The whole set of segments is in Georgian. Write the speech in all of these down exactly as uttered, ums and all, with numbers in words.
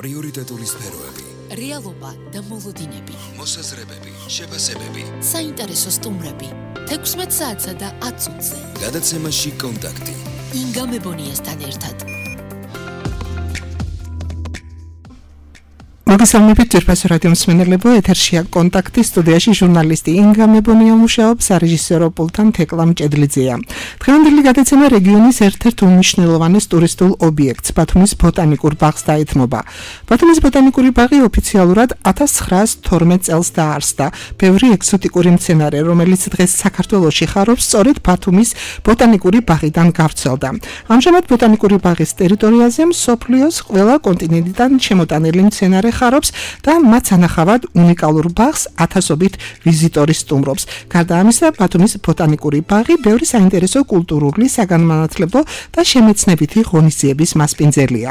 პრიორიტეტული სფეროები, რეალობა და მოლოდინები, მოსაზრებები, შეფასებები, საინტერესო სტუმრები, თექვსმეტ საათსა და ათ წუთზე. გადაცემაში კონტაქტი. ინგა მებონიასთან ერთად. მოგესალმებით ჯერფასო რადიო მსმენელებო, ეთერშია კონტაქტი, სტუდიაში ჟურნალისტი ინგა მებონია მუშაობს, სარეჟისორო პულტთან თეკლა მჭედლიძეა. დღევანდელი გადაცემა რეგიონის ერთ-ერთ უმნიშვნელოვანეს ტურისტულ ობიექტს, ბათუმის ბოტანიკურ ბაღს დაეთმობა. ბათუმის ბოტანიკური ბაღი ოფიციალურად ათას ცხრაას თორმეტ წელს დაარსდა. ბევრი ეგზოტიკური მცენარე, რომელიც დღეს საქართველოში ხარობს, სწორედ ბათუმის ბოტანიკური ბაღიდან გავრცელდა. ამჟამად ბოტანიკური ბაღის ტერიტორიაზე მსოფლიოს ყველა კონტინენტიდან შემოტანილი მცენარე ხარობს და მათ ანახავად უნიკალურ ბაღს ათასობით ვიზიტორი სტუმრობს. გარდა ამისა, ბათუმის ბოტანიკური ბაღი ბევრი საინტერესო კულტურული, საგანმანათლებლო და შემეცნებითი ღონისძიების მასპინძელია.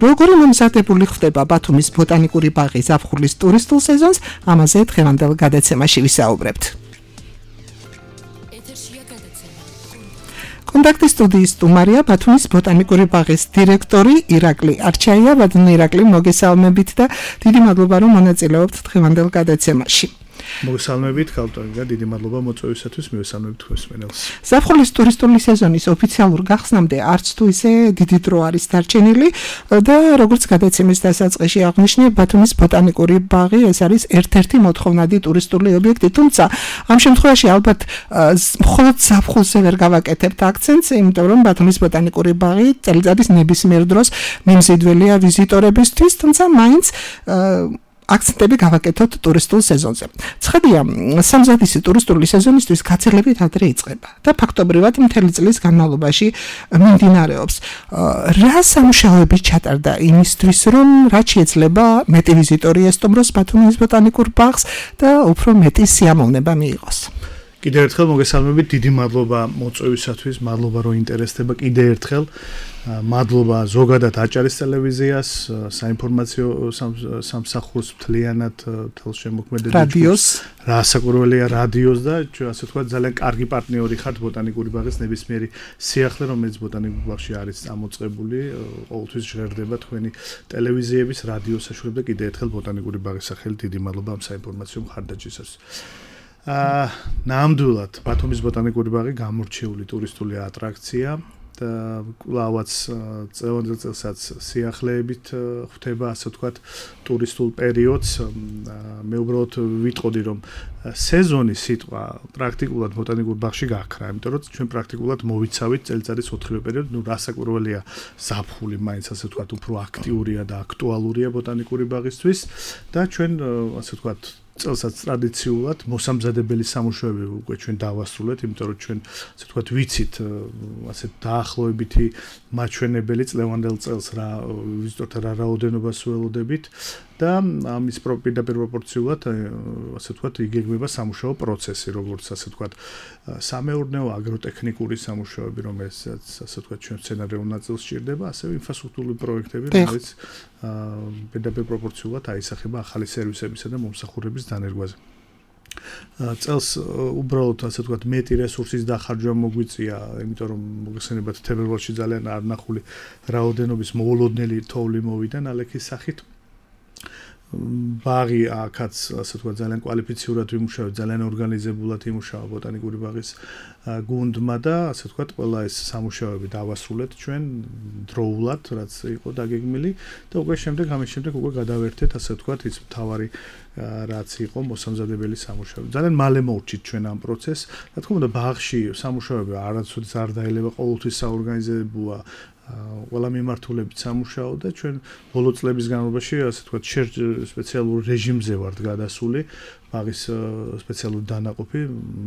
როგორი მომზადებული ხდება ბათუმის ბოტანიკური ბაღი ზაფხულის ტურისტულ სეზონს, ამაზე დღევანდელ გადაცემაში ვისაუბრებთ. კონტაქტის სტუდიის სტუმარია ბათუმის ბოტანიკური ბაღის დირექტორი ირაკლი არჩაია. ბატონო ირაკლი, მოგესალმებით და დიდი მადლობა რომ მონაწილეობთ დღევანდელ გადაცემაში. მოგესალმებით, ქალბატონო, დიდი მადლობა მოწვევისათვის, მივესალმებით თქვენს მსმენელს. ზაფხულის ტურისტული სეზონის ოფიციალურ გახსნამდე არც თუ ისე დიდი დრო არის დარჩენილი და როგორც გადაცემის დასაწყისში აღნიშნე, ბათუმის ბოტანიკური ბაღი ეს არის ერთ-ერთი მოთხოვნადი ტურისტული ობიექტი, თუმცა ამ შემთხვევაში ალბათ მხოლოდ ზაფხულზე ვერ გავაკეთებთ აქცენტს, იმიტომ რომ ბათუმის ბოტანიკური ბაღი წელიწადის ნებისმიერ დროს მიმზიდველია ვიზიტორებისთვის, თუმცა მაინც აქცენტები გავაკეთოთ ტურისტულ სეზონზე. ცხადია, სამზადისი ტურისტული სეზონისთვის გაცილებით ადრე იწყება და ფაქტობრივად მთელი წლის განმავლობაში მიმდინარეობს. რა სამუშაოები ჩატარდა იმისთვის, რომ რაც შეიძლება მეტი ვიზიტორი ესტუმროს ბათუმის ბოტანიკურ ბაღს და უფრო მეტი სიამოვნება მიიღოს. კიდევ ერთხელ მოგესალმებით, დიდი მადლობა მოწვევისათვის, მადლობა რომ ინტერესდება, კიდევ ერთხელ მადლობა ზოგადად აჭარის ტელევიზიას, საინფორმაციო სამსახურს მთლიანად თელ შემოქმედებით რადიოს, რასაკვირველია რადიოს და ასე ვთქვათ ძალიან კარგი პარტნიორი ხართ ბოტანიკური ბაღის ნებისმიერი სიახლე, რომელიც ბოტანიკურ ბაღში არის წამოწყებული, ყოველთვის ჟღერდება თქვენი ტელევიზიების, რადიოს საშუალებით და კიდევ ერთხელ ბოტანიკური ბაღის სახელით დიდი მადლობა ამ საინფორმაციო მხარდაჭერისთვის. აა ნამდვილად ბათუმის ბოტანიკური ბაღი გამორჩეული ტურისტული ატრაქცია და კლავაც წელიწადელ წელსაც სიახლეებით ხვდება, ასე ვთქვათ, ტურისტულ პერიოდს. მე უბრალოდ ვიტყოდი, რომ სეზონი სიტყვა პრაქტიკულად ბოტანიკურ ბაღში გაქრა, იმიტომ რომ ჩვენ პრაქტიკულად მოვიცავით წელიწადის ოთხივე პერიოდი, ნუ რასაკვირველია ზაფხული მაინც ასე ვთქვათ უფრო აქტიურია და აქტუალურია ბოტანიკური ბაღისთვის და ჩვენ ასე ვთქვათ წელსაც ტრადიციულად მოსამზადებელი სამუშაოები უკვე ჩვენ დავასრულეთ, იმიტომ რომ ჩვენ ასე ვთქვათ ვიცით ასე დაახლოებითი მაჩვენებელი წლევანდელ წელს რა ვიზიტორთა რა რაოდენობას ველოდებით და ამის პირდაპირ პროპორციულად ასე ვთქვათ იგეგმება სამუშაო პროცესი, როგორც ასე ვთქვათ სამეურნეო აგროტექნიკური სამუშაოები, რომელსაც ასე ვთქვათ ჩვენ სცენარიულ ნაწილს სჭირდება, ასევე ინფრასტრუქტურული პროექტები, რომელიც პირდაპირ პროპორციულად აისახება ახალი სერვისებისა და მომსახურების დანერგვაზე. წელს უბრალოდ ასე ვთქვათ მეტი რესურსის დახარჯვა მოგვიწია, იმიტომ რომ მოგეხსენებათ თებერვალში ძალიან არნახული რაოდენობის მოულოდნელი თოვლი მოვიდა ნალექის სახით. ბაღი აქაც ასე ვთქვათ ძალიან კვალიფიციურად ვიმუშავეთ, ძალიან ორგანიზებულად იმუშავა ბოტანიკური ბაღის გუნდმა და ასე ვთქვათ ყველა ეს სამუშაოები დავასრულეთ ჩვენ დროულად, რაც იყო დაგეგმილი და უკვე შემდეგ ამის შემდეგ უკვე გადავერთეთ ასე ვთქვათ ის მთავარი რაც იყო მოსამზადებელი სამუშაოები. ძალიან მალე მოვჭით ჩვენ ამ პროცესს. რა თქმა უნდა, ბაღში სამუშაოები არასოდეს არ დაელება, ყოველთვის საორგანიზებოა ყველა მიმართულებით სამუშაო და ჩვენ ბოლო წლების განმავლობაში ასე ვთქვათ სპეციალურ რეჟიმზე ვართ გადასული. ბაღის სპეციალური დანაყოფი,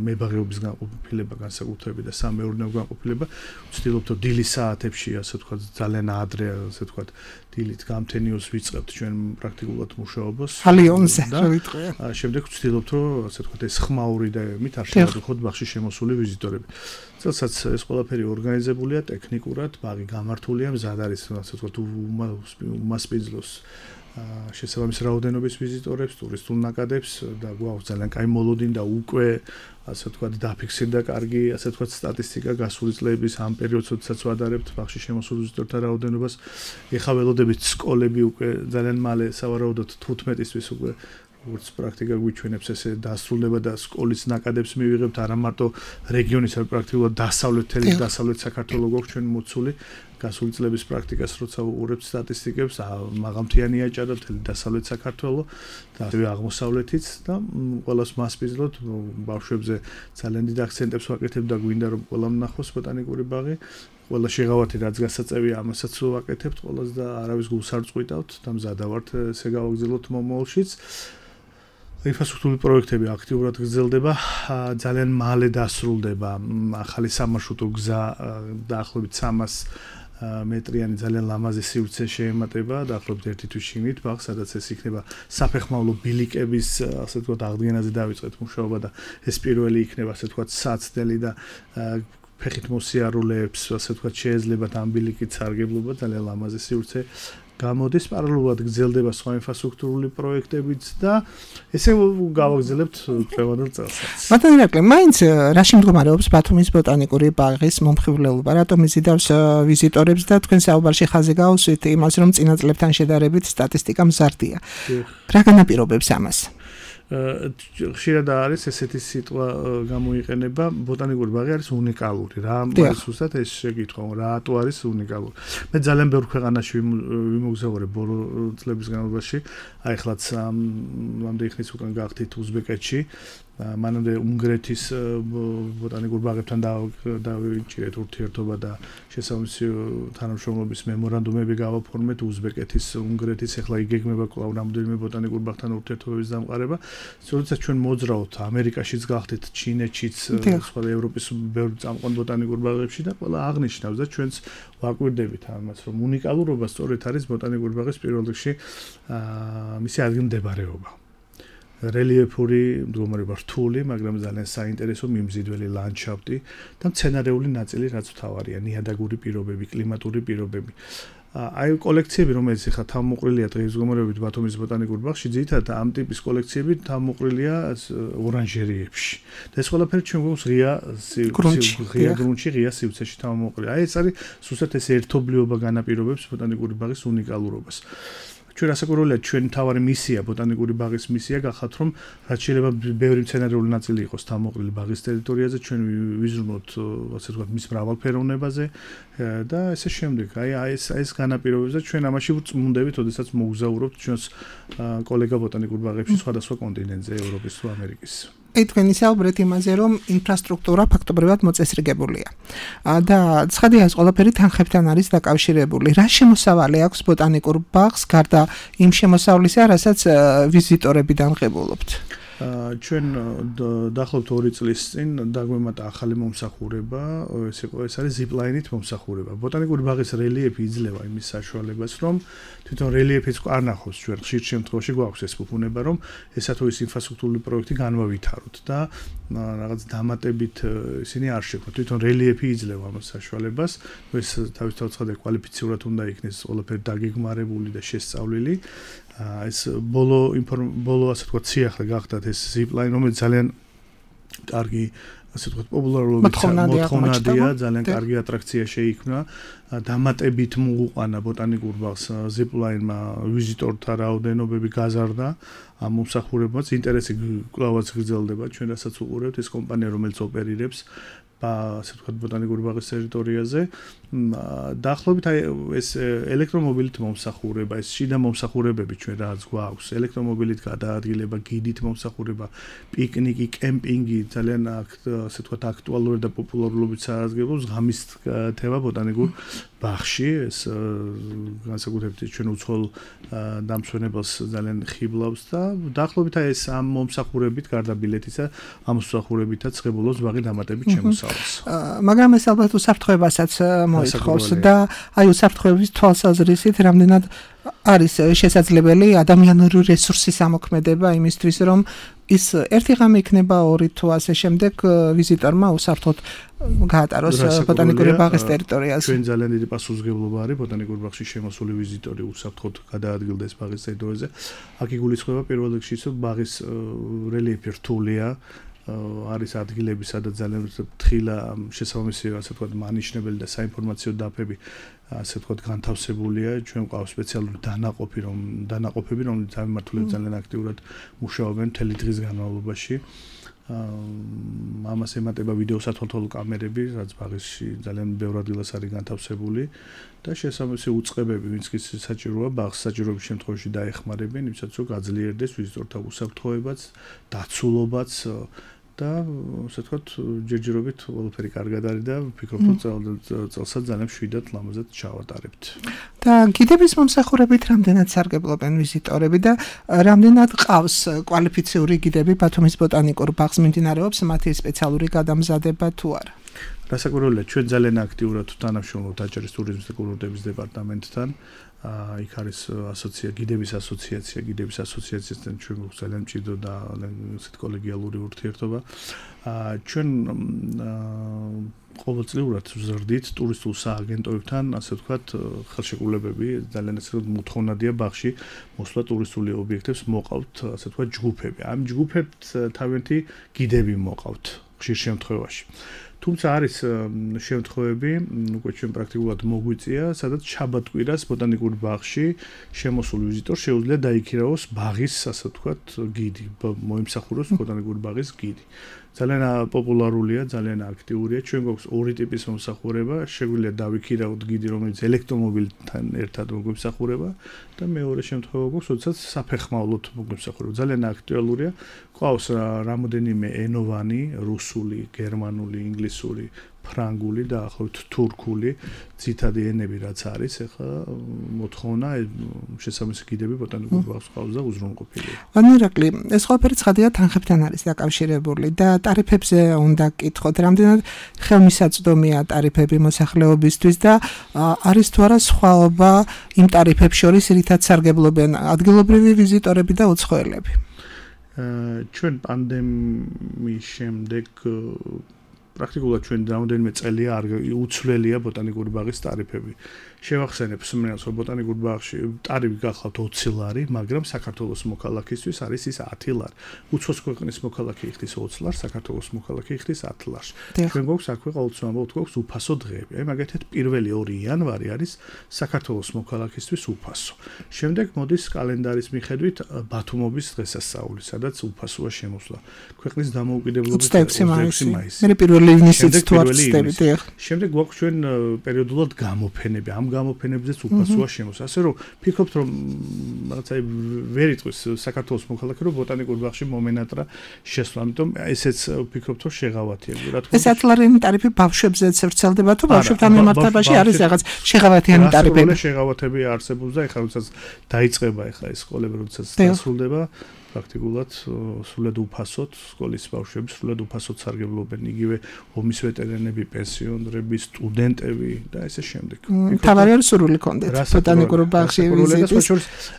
მებაღეობის განყოფილება, განსაკუთრებით და სამეურნეო განყოფილება. ვცდილობთ რომ დილის საათებში, ასე ვთქვათ, ძალიან ადრე, ასე ვთქვათ, დილით გამთენიოს ვიწყებთ ჩვენ პრაქტიკულად მუშაობას. ალიონზე ვიტყვია. შემდეგ ვცდილობთ რომ, ასე ვთქვათ, ეს ხმაური და მით არ შევადროთ ბაღში შემოსული ვიზიტორები. წელსაც ეს ყველაფერი ორგანიზებულია ტექნიკურად, ბაღი გამართულია, მზად არის, ასე ვთქვათ, უმასპინძლოს შესაბამის რაოდენობის ვიზიტორებს, ტურისტულ ნაკადებს და გვაქვს ძალიან კაი მოლოდინი და უკვე ასე ვთქვათ დაფიქსირდა კარგი, ასე ვთქვათ სტატისტიკა გასული წლების ამ პერიოდს, როდესაც ვადარებთ ბაღში შემოსულ ვიზიტორთა რაოდენობას. ეხლა ველოდებით სკოლები უკვე ძალიან მალე სავარაუდოდ თუთხმეტისთვის უკვე როგორც პრაქტიკა გვიჩვენებს ესე დასრულდება და სკოლის ნაკადებს მივიღებთ არა მარტო რეგიონის, არამედ პრაქტიკულად დასავლეთელი დასავლეთ საქართველოს გვაქვს ჩვენ მოცული გასული წლების პრაქტიკას როცა უყურებთ სტატისტიკებს, მაღალმთიანი აჭარა მთელი დასავლეთ საქართველოს და ასევე აღმოსავლეთიც და ყველას მასპინძლობთ ბავშვებზე ძალიან დიდ აქცენტებს ვაკეთებ და გვინდა რომ ყველამ ნახოს ბოტანიკური ბაღი. ყველა შეღავათი რაც გასაწევია ამასაც ვაკეთებთ ყველას და არავის გულს არ წყვიტავთ და მზადა ვართ ესე გავაგრძელოთ მომავალშიც. ინფრასტრუქტურული პროექტები აქტიურად გრძელდება, ძალიან მალე დასრულდება ახალი სამარშრუტო გზა დაახლოებით სამას მეტრიანი ძალიან ლამაზი სივრცე შეემატება დაახლოებით ერთი თვის შიგნით ბაღს, სადაც ეს იქნება საფეხმავლო ბილიკების, ასე ვთქვათ, აღდგენაზე დავიწყეთ მუშაობა და ეს პირველი იქნება, ასე ვთქვათ, საცდელი და ფეხით მოსიარულეებს, ასე ვთქვათ, შეეძლებათ ამ ბილიკით სარგებლობა, ძალიან ლამაზი სივრცე გამოდის, პარალელურად გრძელდება სხვა ინფრასტრუქტურული პროექტებიც და ესე გავაგრძელებთ დღევანდელ წელსაც. ბატონო ირაკლი, მაინც რაში მდგომარეობს ბათუმის ბოტანიკური ბაღის მომხიბვლელობა? რატომ იზიდავს ვიზიტორებს და თქვენ საუბარში ხაზი გაუსვით იმას, რომ წინა წლებთან შედარებით სტატისტიკა მზარდია. რა განაპირობებს ამას? ხშირად არის ესეთი სიტყვა გამოიყენება, ბოტანიკური ბაღი არის უნიკალური. რა ზუსტად ეს შეკითხვა, რატო არის უნიკალური? მე ძალიან ბევრ ქვეყანაში ვიმოგზაურე ბოლო წლების განმავლობაში, აი ხლაც ამდენი ხნის უკან გავხდით უზბეკეთში, მანამდე უნგრეთის ბოტანიკურ ბაღებთან დავიჭირეთ ურთიერთობა და შესაბამისი თანამშრომლობის მემორანდუმები გავაფორმეთ უზბეკეთის, უნგრეთის, ეხლა იგეგმება კვლავ რამდენიმე ბოტანიკურ ბაღთან ურთიერთობების დამყარება. როდესაც ჩვენ მოძრაობთ ამერიკაშიც გავხდით, ჩინეთშიც, სხვა ევროპის ბევრ წამყვან ბოტანიკურ ბაღებში და ყველა აღნიშნავს და ჩვენც ვაკვირდებით ამას, რომ უნიკალურობა სწორედ არის ბოტანიკური ბაღის პირველ რიგში მისი ადგილმდებარეობა. რელიეფური მდგომარეობა რთული, მაგრამ ძალიან საინტერესო მიმზიდველი ლანდშაფტი და მცენარეული ნაწილი, რაც მთავარია, ნიადაგური პირობები, კლიმატური პირობები. აი კოლექციები, რომელიც ახლა თავმოყრილია დღის მდგომარეობით ბათუმის ბოტანიკურ ბაღში, ძირითადად ამ ტიპის კოლექციები თავმოყრილია ორანჟერიებში. და ეს ყველაფერი ჩვენ გვაქვს ღია ღია გრუნტში, ღია სივრცეში თავმოყრილი. აი ეს არის სუსტად ეს ერთობლიობა განაპირობებს ბოტანიკური ბაღის უნიკალურობას. ჩვენ ასაკურველია ჩვენ თავარი მისია ბოტანიკური ბაღის მისია გახათ რომ რაც შეიძლება ბევრი მცენარეული ნაწილი იყოს თავმოყრილი ბაღის ტერიტორიაზე ჩვენ ვიზრუნოთ ასე ვთქვათ მის მრავალფეროვნებაზე და ესე შემდეგ აი ეს ეს განაპირობებს და ჩვენ ამაში ვწმუნდებით ოდესაც მოგზაურობთ ჩვენს კოლეგა ბოტანიკურ ბაღებში სხვადასხვა კონტინენტზე ევროპის თუ ამერიკის აი თქვენ ისაუბრეთ იმაზე, რომ ინფრასტრუქტურა ფაქტობრივად მოწესრიგებულია. და ცხადია, ეს ყველაფერი თანხებთან არის დაკავშირებული. რა შემოსავალი აქვს ბოტანიკურ ბაღს, გარდა იმ შემოსავლისა, რასაც ვიზიტორებიდან ღებულობთ? ჩვენ დაახლოებით ორი წლის წინ დაგვემატა ახალი მომსახურება, ეს იყო ეს არის ზიპლაინით მომსახურება. ბოტანიკური ბაღის რელიეფი იძლევა იმის საშუალებას, რომ თვითონ რელიეფიც არ ნახოს ჩვენ ხშირ შემთხვევაში გვაქვს ეს ფუფუნება, რომ ესა თუ ის ინფრასტრუქტურული პროექტი განვავითაროთ და რაღაც დამატებით ისინი არ შექმნათ. თვითონ რელიეფი იძლევა ამას საშუალებას, ეს თავისთავად ცხადია კვალიფიციურად უნდა იქნეს ყველაფერი დაგეგმარებული და შესწავლილი. ეს ბოლო ბოლო ასე ვთქვათ სიახლე გახდათ ეს ზიპლაინ, რომელიც ძალიან კარგი ასე ვთქვათ პოპულარობით მოთხოვნადია, ძალიან კარგი ატრაქცია შეიქმნა. დამატებით მოუყვანა ბოტანიკურ ბაღს ზიპლაინმა ვიზიტორთა რაოდენობები გაზარდა ამ მომსახურებაც, ინტერესი კვლავაც გრძელდება. ჩვენ რასაც უყურებთ ეს კომპანია რომელიც ოპერირებს ასე ვთქვათ ბოტანიკური ბაღის ტერიტორიაზე დაახლოებით აი ეს ელექტრომობილით მომსახურება, ეს შიდა მომსახურებები ჩვენ რაც გვაქვს, ელექტრომობილით გადაადგილება, გიდით მომსახურება, პიკნიკი, კემპინგი, ძალიან ასე ვთქვათ აქტუალური და პოპულარულობით სარგებლობს ღამის თევა ბოტანიკურ ბაღში, ეს განსაკუთრებით ჩვენ უცხოელ დამსვენებელს ძალიან ხიბლავს და დაახლოებით აი ეს ამ მომსახურებით გარდა ბილეთისა, ამ მომსახურებითაც ღებულობს ბაღი დამატებით შემოსავალს. მაგრამ ეს ალბათ უსაფრთხოებასაც მოითხოვს და აი უსაფრთხოების თვალსაზრისით რამდენად არის შესაძლებელი ადამიანური რესურსის ამოქმედება იმისთვის, რომ ის ერთი ღამე იქნება ორი თუ ასე შემდეგ ვიზიტორმა უსაფრთხოდ გაატაროს ბოტანიკური ბაღის ტერიტორიაზე. ჩვენ ძალიან დიდი პასუხისმგებლობა არის ბოტანიკურ ბაღში შემოსული ვიზიტორი უსაფრთხოდ გადაადგილდეს ბაღის ტერიტორიაზე. აქ იგულისხმება პირველ რიგში, რომ ბაღის რელიეფი რთულია. არის ადგილები, სადაც ძალიან თხილა შესაბამისი ასე ვთქვათ მანიშნებელი და საინფორმაციო დაფები ასე ვთქვათ განთავსებულია. ჩვენ ყავს სპეციალური დანაყოფი, რომ დანაყოფები, რომლებიც ამმართველებს ძალიან აქტიურად მუშაობენ მთელი დღის განმავლობაში. ამას ემატება ვიდეო სათვალთვალო კამერები, რაც ბაღში ძალიან ბევრ ადგილას არის განთავსებული და შესაბამისი უწყებები, ვინც კი საჭიროა ბაღს საჭიროების შემთხვევაში დაეხმარებიან, იმისაც რომ გაძლიერდეს ვიზიტორთა უსაფრთხოებაც, დაცულობაც და ასე ვთქვათ, ჯერჯერობით ყველაფერი კარგად არის და ვფიქრობ, რომ წელსაც ძალიან მშვიდად ლამაზად ჩავატარებთ. და გიდების მომსახურებით რამდენად სარგებლობენ ვიზიტორები და რამდენად ყავს კვალიფიციური გიდები ბათუმის ბოტანიკურ ბაღს მიმდინარეობს მათი სპეციალური გადამზადება თუ არა? რასაკვირველია, ჩვენ ძალიან აქტიურად თანამშრომლობთ აჭარის ტურიზმის და კულტურის დეპარტამენტთან. იქ არის ასოცია გიდების ასოციაცია, გიდების ასოციაციასთან ჩვენ გვაქვს ძალიან მჭიდრო და ესეთ კოლეგიალური ურთიერთობა. ჩვენ ყოველწლიურად ვზრდით ტურისტულ სააგენტოებთან, ასე ვთქვათ, ხელშეკრულებები ძალიან ასე ვთქვათ მოთხოვნადია ბაღში მოსვლა ტურისტული ობიექტებს მოყავთ, ასე ვთქვათ, ჯგუფები. ამ ჯგუფებს თავიანთი გიდები მოყავთ ხშირ შემთხვევაში. თუმცა არის შემთხვევები, უკვე ჩვენ პრაქტიკულად მოგვიწია, სადაც შაბათ-კვირას ბოტანიკურ ბაღში შემოსულ ვიზიტორს შეუძლია დაიქირავოს ბაღის, ასე ვთქვათ, გიდი, მოიმსახუროს ბოტანიკური ბაღის გიდი. ძალიან პოპულარულია, ძალიან აქტიურია. ჩვენ გვაქვს ორი ტიპის მომსახურება, შეგვიძლია დავიქირავოთ გიდი, რომელიც ელექტრომობილთან ერთად მოგვიმსახურება და მეორე შემთხვევა გვაქვს, როდესაც საფეხმავლოდ მოგვიმსახურება. ძალიან აქტუალურია. ყავს რამოდენიმე ენოვანი, რუსული, გერმანული, ინგლისური, ფრანგული და ახლავთ თურქული ძირითადი ენები რაც არის, ეხლა მოთხოვნა შესაბამისი გიდები ბოტანიკურ ბაღს ყავს და უზრუნველყოფილია. ანუ ირაკლი, ეს ყველაფერი ცხადია თანხებთან არის დაკავშირებული და ტარიფებზე უნდა გკითხოთ, რამდენად ხელმისაწვდომია ტარიფები მოსახლეობისთვის და არის თუ არა სხვაობა იმ ტარიფებს შორის, რითაც სარგებლობენ ადგილობრივი ვიზიტორები და უცხოელები. ჩვენ პანდემიის შემდეგ პრაქტიკულად ჩვენ რამდენიმე წელია არ უცვლელია ბოტანიკური ბაღის ტარიფები. შევახსენებ მსმენელს, რომ ბოტანიკურ ბაღში ტარიფი გახლავთ ოცი ლარი, მაგრამ საქართველოს მოქალაქისთვის არის ის ათი ლარი. უცხოს ქვეყნის მოქალაქე იხდის ოცი ლარს, საქართველოს მოქალაქე იხდის ათი ლარს. ჩვენ გვაქვს აქვე ყოველთვის ამბობთ, გვაქვს უფასო დღეები. აი მაგათაც პირველი ორი იანვარი არის საქართველოს მოქალაქისთვის უფასო. შემდეგ მოდის კალენდარის მიხედვით ბათუმობის დღესასწაული, sadაც უფასოა შემოსვლა. ქვეყნის დამოუკიდებლობის ოცდაექვსი მაისი. მე პირველი ივნისიც თუ არ ვწდებით. შემდეგ გვაქვს ჩვენ პერიოდულად გამოფენები. ამ გამოფენებზეც უფასოა შემოსვლა. ასე რომ ფიქრობთ, რომ რაღაცა ვერ იტყვის საქართველოს მოქალაქე, რომ ბოტანიკურ ბაღში მომენატრა შესვლა. ამიტომ ესეც ფიქრობთ, რომ შეღავათია. რა თქმა უნდა. ეს ათი ლარიანი ტარიფი ბავშვებზეც ვრცელდება თუ ბავშვებთან მიმართებაში არის რაღაც შეღავათიანი ტარიფები? შეღავათები არსებობს და ეხლა როდესაც დაიწყება ეხლა ეს სკოლები, როდესაც დასრულდება პრაქტიკულად სრულად უფასოდ სკოლის ბავშვები სრულად უფასოდ სარგებლობენ იგივე ომის ვეტერანები, პენსიონერები, სტუდენტები და ესე შემდეგ. თავარი არის სურვილი კონდეთ ბოტანიკურ ბაღში ვიზიტის.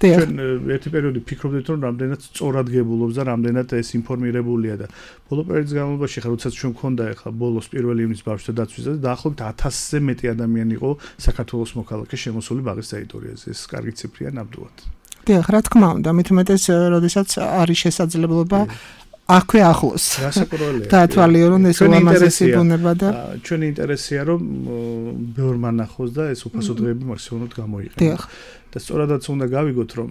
ჩვენ ერთი პერიოდი ფიქრობდით, რომ რამდენად სწორად გებულობს და რამდენად ეს ინფორმირებულია და ბოლო პერიოდის განმავლობაში ხა როდესაც ჩვენ მქონდა ეხლა ბოლოს პირველი ივნის ბავშვთა დაცვისა და დაახლოებით ათასზე მეტი ადამიანი იყო საქართველოს მოქალაქე შემოსული ბაღის ტერიტორიაზე. ეს კარგი ციფრია ნამდვილად. დიახ, რა თქმა უნდა, მით უმეტეს, როდესაც არის შესაძლებლობა აქვე ახლოს. რასაკვირველია. დაათვალიერო, რომ ეს უამაზესი ბუნება და ჩვენი ინტერესია, რომ ბევრმა ნახოს და ეს უფასო დღეები მაქსიმალურად გამოიყენოს. დიახ. და სწორადაც უნდა გავიგოთ, რომ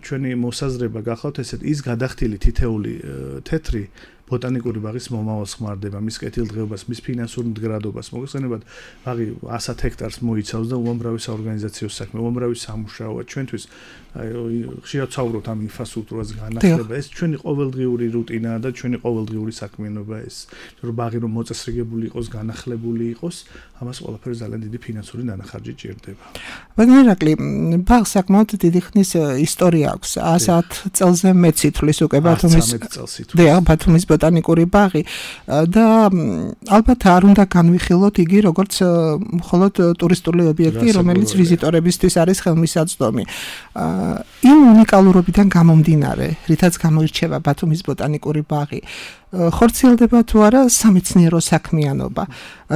ჩვენი მოსაზრება გახლავთ ესეთ ის გადახდილი თითეული თეთრი ბოტანიკური ბაღის მომავალს ხმარდება, მის კეთილდღეობას, მის ფინანსურ მდგრადობას. მოგეხსენებათ, ბაღი ასად ჰექტარს მოიცავს და უამრავი საორგანიზაციო საქმე, უამრავი სამუშაოა ჩვენთვის. აი, ხშირად ვსაუბრობთ ამ ინფრასტრუქტურას განახლება. ეს ჩვენი ყოველდღიური რუტინაა და ჩვენი ყოველდღიური საქმიანობა ეს. რომ ბაღი რომ მოწესრიგებული იყოს, განახლებული იყოს, ამას ყველაფერს ძალიან დიდი ფინანსური დანახარჯი ჭირდება. ბატონო ირაკლი, ბაღს საკმაოდ დიდი ხნის ისტორია აქვს. ასათ წელზე მეც ითვლის უკვე ბათუმის დიახ, ბათუმის ბოტანიკური ბაღი და ალბათ არ უნდა განვიხილოთ იგი როგორც მხოლოდ ტურისტული ობიექტი, რომელიც ვიზიტორებისთვის არის ხელმისაწვდომი. იმ უნიკალურობიდან გამომდინარე, რითაც გამოირჩევა ბათუმის ბოტანიკური ბაღი, ხორციელდება თუ არა სამეცნიერო საქმიანობა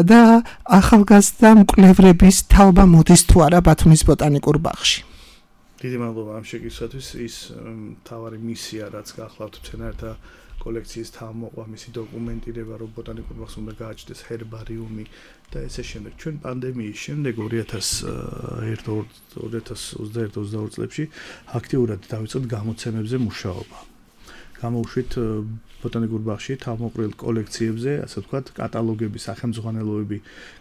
და ახალგაზრდა მკვლევრების თაობა მოდის თუ არა ბათუმის ბოტანიკურ ბაღში. დიდი მადლობა ამ შეკითხვისთვის. ის მთავარი მისია, რაც გახლავთ მცენარეთა კოლექციის თავმოყვა, მისი დოკუმენტირება, რომ ბოტანიკურ ბაღს უნდა გააჩნდეს ჰერბარიუმი და ესე შემდეგ. ჩვენ პანდემიის შემდეგ ორი ათას ოცდაერთი ოცდაორი წლებში აქტიურად დავიწყეთ გამოცემებზე მუშაობა. გამოუშვით ბოტანიკურ ბაღში თავმოყრილ კოლექციებზე, ასე ვთქვათ, კატალოგები, სახელმძღვანელოები,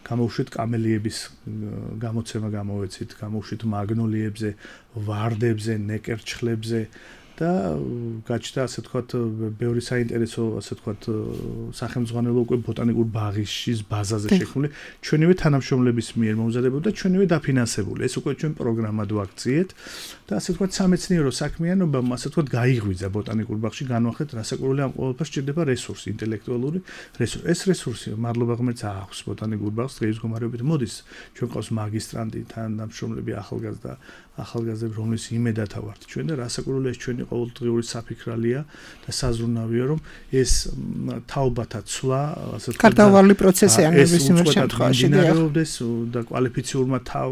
გამოუშვით კამელიების გამოცემა გამოვეცით, გამოუშვით მაგნოლიებზე, ვარდებზე, ნეკერჩხლებზე და გაჩნდა, ასე ვთქვათ, ბევრი საინტერესო, ასე ვთქვათ, სახელმძღვანელო უკვე ბოტანიკურ ბაღის ბაზაზე შექმნილი, ჩვენივე თანამშრომლების მიერ მომზადებული და ჩვენივე დაფინანსებული. ეს უკვე ჩვენ პროგრამად ვაქციეთ და ასე ვთქვათ, სამეცნიერო საქმიანობამ, ასე ვთქვათ, გაიღვიძა ბოტანიკურ ბაღში, განვახეთ რასაკურველი ამ ყოველფერს სჭირდება რესურსი, ინტელექტუალური რესურსი. ეს რესურსი მადლობა ღმერთს აქვს ბოტანიკურ ბაღს, დღის მდგომარეობით მოდის. ჩვენ ყავს მაგისტრანტი, თანამშრომლები, ახალგაზრდა, ახალგაზრდები, რომლის იმედათა ვართ ჩვენ და რასაკურველი ეს ჩვენი ყოველდღიური საფიქრალია და საზრუნავია, რომ ეს თაობათა ცვლა, ასე ვთქვათ, გარდაუვალი პროცესია ნებისმიერ შემთხვევაში და კვალიფიციურმა თავ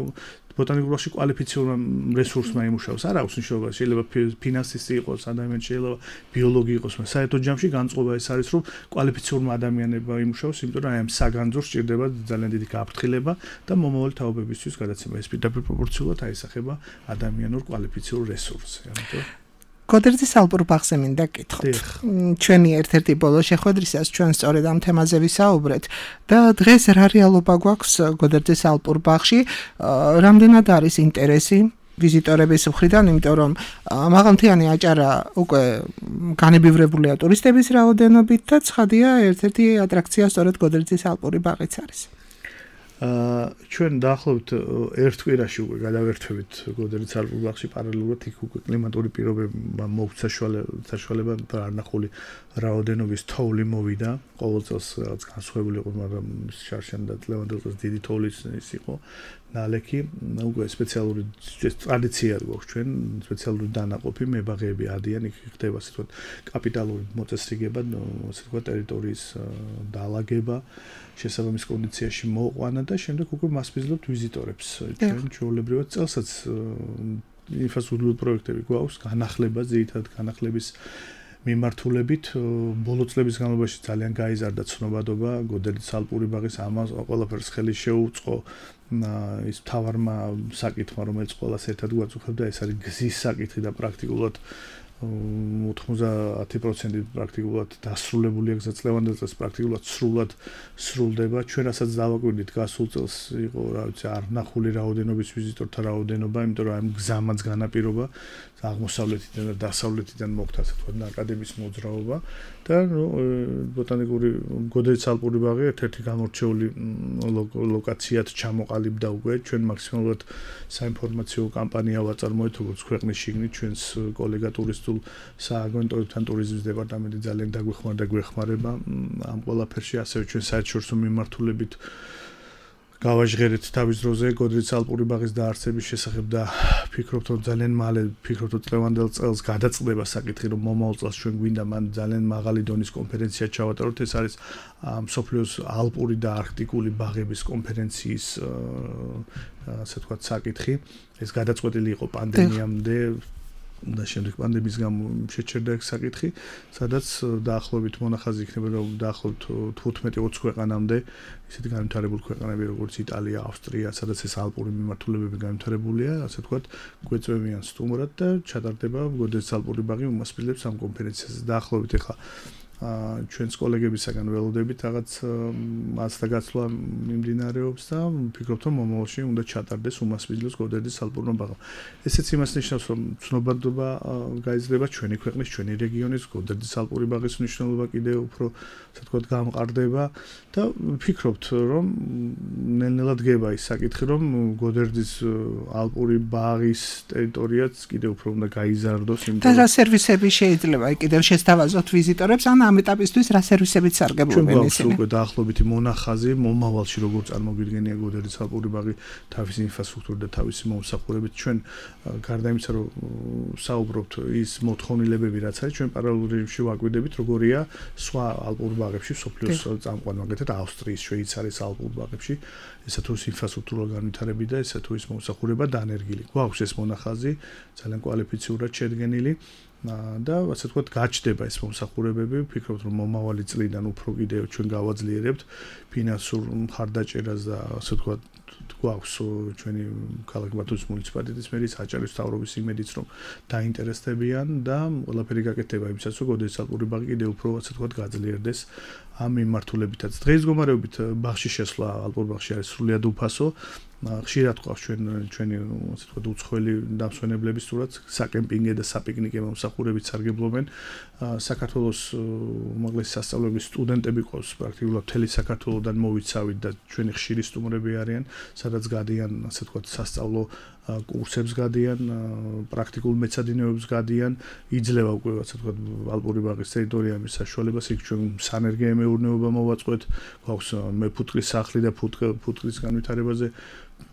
ბოტანიკურ ბაღში კვალიფიციურმა რესურსმა იმუშაოს. არ აქვს მნიშვნელობა, შეიძლება ფინანსისტი იყოს, ადამიანი შეიძლება ბიოლოგი იყოს, მაგრამ საერთოდ ჯამში განწყობა ეს არის, რომ კვალიფიციურმა ადამიანებმა იმუშაოს, იმიტომ რომ აი ამ საგანძურს სჭირდება ძალიან დიდი გაფრთხილება და მომავალი თაობებისთვის გადაცემა. ეს პირდაპირ პროპორციულად აისახება ადამიანურ კვალიფიციურ რესურსს. ამიტომ გოდერძის ალპურ ბაღზე მინდა გკითხოთ. ჩვენი ერთ-ერთი ბოლო შეხვედრისას ჩვენ სწორედ ამ თემაზე ვისაუბრეთ და დღეს რა რეალობა გვაქვს გოდერძის ალპურ ბაღში, რამდენად არის ინტერესი ვიზიტორების მხრიდან, იმიტომ რომ მაღალმთიანი აჭარა უკვე განებივრებულია ტურისტების რაოდენობით და ცხადია ერთ-ერთი ატრაქცია სწორედ გოდერძის ალპური ბაღიც არის. აა ჩვენ დაახლოებით ერთ კვირაში უკვე გადავერთვებით გოდერძის ალპურ ბაღში პარალელურად იქ უკვე კლიმატური პირობებმა მოგვცა საშუალება არნახული რაოდენობის თოვლი მოვიდა. ყოველ წელს რაც განსხვავებული იყო, მაგრამ შარშან და ლევანდელ წელს დიდი თოვლის ის იყო ნალექი. უკვე სპეციალური ტრადიცია გვაქვს ჩვენ, სპეციალური დანაყოფი მებაღეები ადიან, იქ ხდება ასე ვთქვათ კაპიტალური მოწესრიგება, ასე ვთქვათ ტერიტორიის დაალაგება, შესაბამის კონდიციაში მოყვანა და შემდეგ უკვე მასპინძლობთ ვიზიტორებს. ჩვენ ჩვეულებრივად წელსაც ინფრასტრუქტურული პროექტები გვაქვს, განახლება, ძირითადად განახლების მიმართულებით. ბოლო წლების განმავლობაში ძალიან გაიზარდა ცნობადობა გოდერძის ალპური ბაღის ამას ყველაფერს ხელი შეუწყო ის მთავარმა საკითხმა, რომელიც ყველას ერთად გვაწუხებდა, ეს არის გზის საკითხი და პრაქტიკულად ოთხმოცდაათი პროცენტი პრაქტიკულად დასრულებულია გზა, ლევანდელ წელს პრაქტიკულად სრულად სრულდება. ჩვენ რასაც დავაკვირდით გასულ წელს იყო, რა ვიცი, არნახული რაოდენობის ვიზიტორთა რაოდენობა, იმიტომ რომ ამ გზამაც განაპირობა აღმოსავლეთიდან და დასავლეთიდან მოხდა, ასე ვთქვათ, აკადემიის მოძრაობა და ნუ ბოტანიკური გოდერძის ალპური ბაღი ერთ-ერთი გამორჩეული ლოკაციად ჩამოყალიბდა უკვე. ჩვენ მაქსიმალურად საინფორმაციო კამპანია ვაწარმოეთ, როგორც ქვეყნის შიგნით, ჩვენს კოლეგა ტურისტულ სააგენტოებთან ტურიზმის დეპარტამენტი ძალიან დაგვეხმარდა, გვეხმარება ამ ყველაფერში, ასევე ჩვენ საერთაშორისო მიმართულებით გავაჟღერეთ თავის დროზე გოდერძის ალპური ბაღის დაარსების შესახებ და ფიქრობთ, რომ ძალიან მალე ფიქრობთ, რომ წლევანდელ წელს გადაწყდება საკითხი, რომ მომავალ წელს ჩვენ გვინდა მან ძალიან მაღალი დონის კონფერენცია ჩავატაროთ. ეს არის მსოფლიოს ალპური და არქტიკული ბაღების კონფერენციის ასე ვთქვათ საკითხი. ეს გადაწყვეტილი იყო პანდემიამდე და შემდეგ პანდემიის გამო შეჩერდა ეს საკითხი, სადაც დაახლოებით მონახაზი იქნება, რომ დაახლოებით თხუთმეტი ოცი ქვეყანამდე ისეთი განვითარებული ქვეყნები, როგორც იტალია, ავსტრია, სადაც ეს ალპური მიმართულებები განვითარებულია, ასე ვთქვათ, გვეწევიან სტუმრად და ჩატარდება გოდერძის ალპური ბაღი უმასპინძლებს ამ კონფერენციაზე. დაახლოებით ახლა ჩვენს კოლეგებისაგან ველოდებით რაღაც მასთა გაცვლა მიმდინარეობს და ვფიქრობთ რომ მომავალში უნდა ჩატარდეს უმასპინძლის გოდერდის ალპურმა ბაღმა. ესეც იმას ნიშნავს რომ ცნობადობა გაიზრდება ჩვენი ქვეყნის, ჩვენი რეგიონის გოდერდის ალპური ბაღის მნიშვნელობა კიდევ უფრო ასე ვთქვათ გამყარდება და ვფიქრობთ რომ ნელ-ნელა დგება ის საკითხი რომ გოდერდის ალპური ბაღის ტერიტორიაც კიდევ უფრო უნდა გაიზარდოს იმ და რა სერვისები შეიძლება კიდევ შესთავაზოთ ვიზიტორებს ან ამ ეტაპისთვის რა სერვისებით სარგებლობენ ისინი? ჩვენ უკვე დაახლოებით მონახაზი მომავალში როგორ წარმოგვიდგენია გოდერდის ალპური ბაღი თავისი ინფრასტრუქტურით და თავისი მომსახურებით. ჩვენ გარდა იმისა რომ საუბრობთ ის მოთხოვნილებები რაც არის ჩვენ პარალელურ რეჟიმში ვაკვირდებით როგორია სხვა ალპურ ბაღებში სოფლიოს წამყვან მაგალითად ავსტრიის, შვეიცარიის ალპურ ბაღებში ესა თუ ინფრასტრუქტურა განვითარები და ესა თუ ის მომსახურება დანერგილი. გვაქვს ეს მონახაზი ძალიან კვალიფიციურად შედგენილი და ასე ვთქვათ გაჩნდება ეს მომსახურებები. ვფიქრობთ რომ მომავალი წლიდან უფრო კიდევ ჩვენ გავაძლიერებთ ფინანსურ მხარდაჭერას და ასე ვთქვათ გვაქვს ჩვენი ქალაქ ბათუმის მუნიციპალიტეტის მერის აჭარის მთავრობის იმედიც რომ დაინტერესდებიან და ყველაფერი გაკეთდება იმისათვის რომ გოდერდის ალპური ბაღი კიდევ უფრო ასე ვთქვათ გაძლიერდეს ამ მიმართულებითაც. დღეს მდგომარეობით ბაღში შესვლა ალპურ ბაღში არის სრულიად უფასო. ხშირად ყავს ჩვენ ჩვენი ასე ვთქვათ უცხოელი დამსვენებლების თურაც საკემპინგე და საპიკნიკე მომსახურებით სარგებლობენ. საქართველოს უმაღლესი სასწავლებლის სტუდენტები ყავს პრაქტიკულად მთელი საქართველოდან მოვიცავით და ჩვენი ხშირი სტუმრები არიან, სადაც გადიან ასე ვთქვათ სასწავლო კურსებს გადიან, პრაქტიკულ მეცადინეობებს გადიან, იძლევა უკვე ასე ვთქვათ ალპური ბაღის ტერიტორიების საშუალებას, იქ ჩვენ სანერგე მეურნეობა მოვაწყვეთ, გვაქვს მეფუტკრის სახლი და ფუტკრის განვითარებაზე